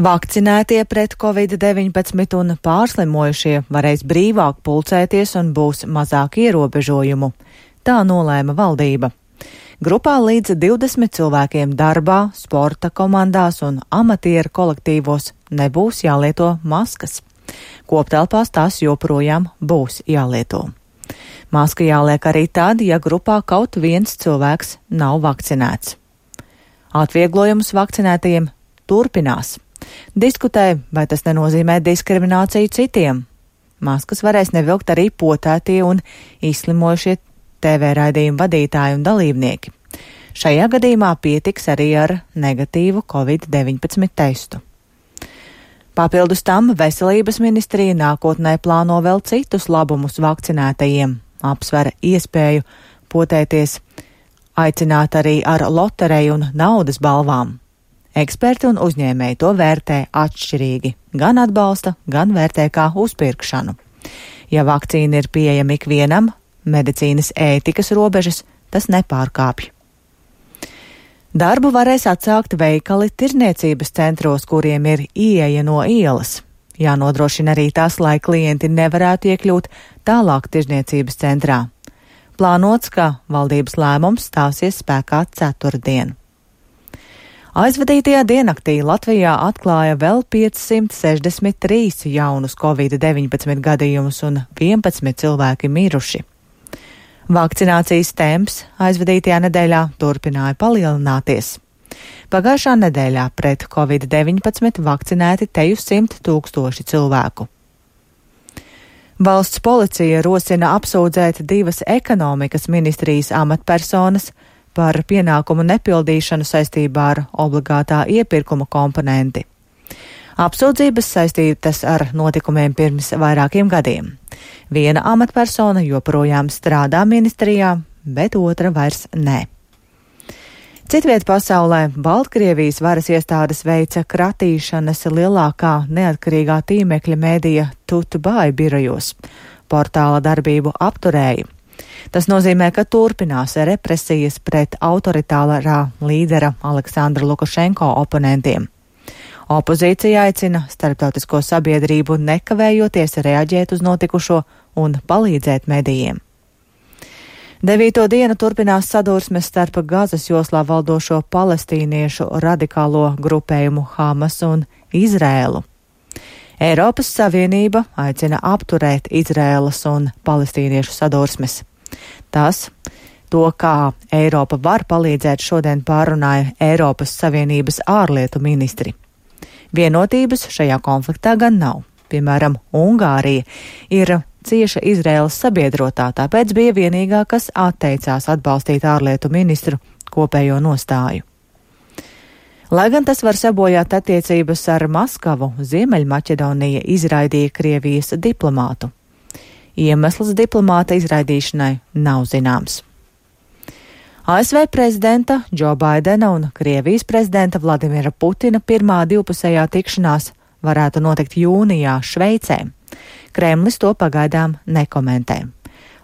Vakcinētie pret Covid-19 un pārslimojušie varēs brīvāk pulcēties un būs mazāk ierobežojumu. Tā nolēma valdība. Grupā līdz 20 cilvēkiem darbā, sporta komandās un amatieru kolektīvos nebūs jālieto maskas. Koptelpās tās joprojām būs jālieto. Maska jāliek arī tad, ja grupā kaut viens cilvēks nav vakcinēts. Atvieglojumus vakcinētajiem turpinās. Diskutē, vai tas nenozīmē diskrimināciju citiem. Maskas varēs nevilkt arī potētie un izslimojušie TV raidījumu vadītāji un dalībnieki. Šajā gadījumā pietiks arī ar negatīvu Covid-19 testu. Papildus tam Veselības ministrija nākotnē plāno vēl citus labumus vakcinētajiem, apsver iespēju potēties, aicināt arī ar lotereju un naudas balvām. Eksperti un uzņēmēji to vērtē atšķirīgi, gan atbalsta, gan vērtē kā uzpirkšanu. Ja vakcīna ir pieejama ikvienam, medicīnas ētikas robežas tas nepārkāpj. Darbu varēs atsākt veikali tirniecības centros, kuriem ir ieeja no ielas. Jānodrošina arī tas, lai klienti nevarētu iekļūt tālāk tirniecības centrā. Plānots, ka valdības lēmums stāsies spēkā ceturtdien. Aizvadītajā diennaktī Latvijā atklāja vēl 563 jaunus Covid-19 gadījumus un 11 cilvēki miruši. Vakcinācijas temps aizvadītajā nedēļā turpināja palielināties. Pagājušā nedēļā pret Covid-19 vakcinēti teju 100 000 cilvēku. Valsts policija rosina apsūdzēt 2 ekonomikas ministrijas amatpersonas par pienākumu nepildīšanu saistībā ar obligātā iepirkuma komponenti. Apsūdzības saistītas ar notikumiem pirms vairākiem gadiem. Viena amatpersona joprojām strādā ministrijā, bet otra vairs nē. Citviet pasaulē Baltkrievijas varas iestādes veica kratīšanas lielākā neatkarīgā tīmekļa mēdīja Tutubāju birojos. Portāla darbību apturēja. Tas nozīmē, ka turpinās represijas pret autoritārā līdera Aleksandra Lukašenko oponentiem. Opozīcija aicina starptautisko sabiedrību nekavējoties reaģēt uz notikušo un palīdzēt medijiem. 9. dienu turpinās sadursmes starp Gazas joslā valdošo palestīniešu radikālo grupējumu Hamas un Izrēlu. Eiropas Savienība aicina apturēt Izrēlas un palestīniešu sadursmes. To, kā Eiropa var palīdzēt, šodien pārunāja Eiropas Savienības ārlietu ministri. Vienotības šajā konfliktā gan nav. Piemēram, Ungārija ir cieša Izraēlas sabiedrotā, tāpēc bija vienīgā, kas atteicās atbalstīt ārlietu ministru kopējo nostāju. Lai gan tas var sabojāt attiecības ar Maskavu, Ziemeļmaķedonija izraidīja Krievijas diplomātu. Iemesls diplomāta izraidīšanai nav zināms. ASV prezidenta Džo Baidena un Krievijas prezidenta Vladimira Putina pirmā divpusējā tikšanās varētu notikt jūnijā Šveicē. Kremlis to pagaidām nekomentē.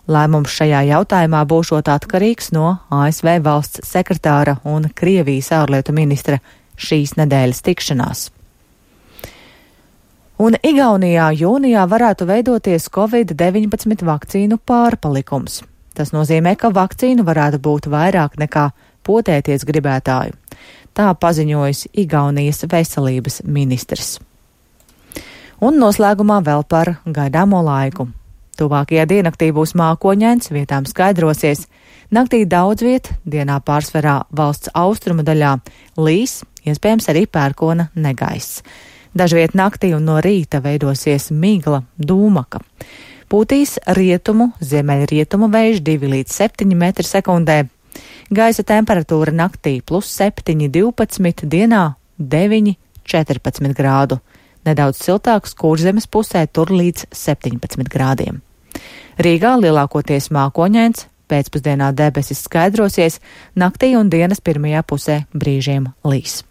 Lēmums šajā jautājumā būšot atkarīgs no ASV valsts sekretāra un Krievijas ārlietu ministra šīs nedēļas tikšanās. Un Igaunijā jūnijā varētu veidoties Covid-19 vakcīnu pārpalikums. Tas nozīmē, ka vakcīnu varētu būt vairāk nekā potēties gribētāju. Tā paziņojis Igaunijas veselības ministrs. Un noslēgumā vēl par gaidāmo laiku. Tuvākajā diennaktī būs mākoņains, vietām skaidrosies. Naktī daudz viet, dienā pārsvarā valsts austrumu daļā līs, iespējams arī pērkona negaiss. Dažviet naktī un no rīta veidosies migla, dūmaka. Pūtīs rietumu, ziemeļrietumu vējš 2 līdz 7 metri sekundē. Gaisa temperatūra naktī +7, 12, dienā 9, 14 grādu. Nedaudz siltāks Kurzemes pusē, tur līdz 17 grādiem. Rīgā lielākoties mākoņains, pēcpusdienā debesis skaidrosies, naktī un dienas pirmajā pusē brīžiem līs.